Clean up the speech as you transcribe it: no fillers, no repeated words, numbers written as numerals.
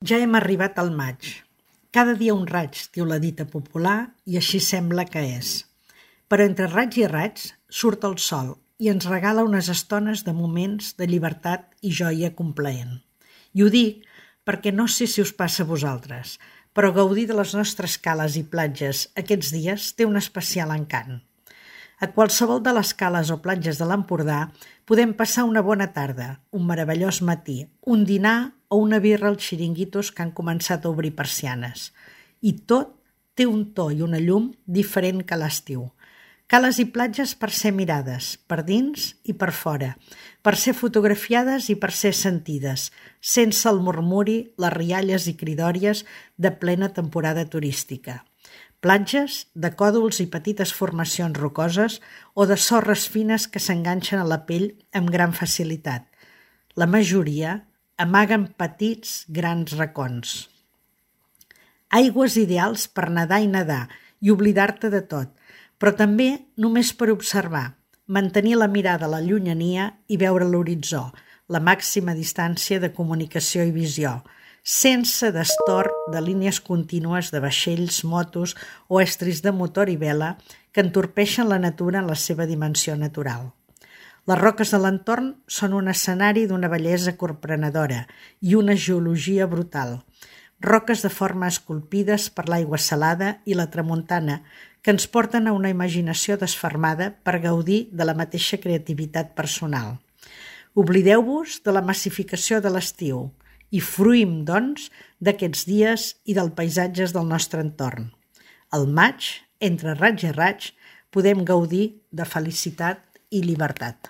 Ja hem arribat al maig. Cada dia un raig, diu la dita popular, i així sembla que és. Però entre raig i raig surt el sol i ens regala unes estones de moments de llibertat i joia complaent. I ho dic perquè no sé si us passa a vosaltres, però gaudir de les nostres cales i platges aquests dies té un especial encant. A qualsevol de les cales o platges de l'Empordà podem passar una bona tarda, un meravellós matí, un dinar o una birra als xiringuitos que han començat a obrir persianes. I tot té un to i una llum diferent que l'estiu. Cales i platges per ser mirades, per dins i per fora, per ser fotografiades i per ser sentides, sense el murmuri, les rialles i cridòries de plena temporada turística. Platges de còdols i petites formacions rocoses o de sorres fines que s'enganxen a la pell amb gran facilitat. La majoria amaguen petits, grans racons. Aigües ideals per nedar i oblidar-te de tot, però també només per observar, mantenir la mirada a la llunyania i veure l'horitzó, la màxima distància de comunicació i visió, sense destorb de línies contínues de vaixells, motos o estris de motor i vela que entorpeixen la natura en la seva dimensió natural. Les roques de l'entorn són un escenari d'una bellesa corprenedora i una geologia brutal. Roques de forma esculpides per l'aigua salada i la tramuntana que ens porten a una imaginació desfermada per gaudir de la mateixa creativitat personal. Oblideu-vos de la massificació de l'estiu i fruïm, doncs, d'aquests dies i dels paisatges del nostre entorn. Al maig, entre raig i raig, podem gaudir de felicitat i llibertat.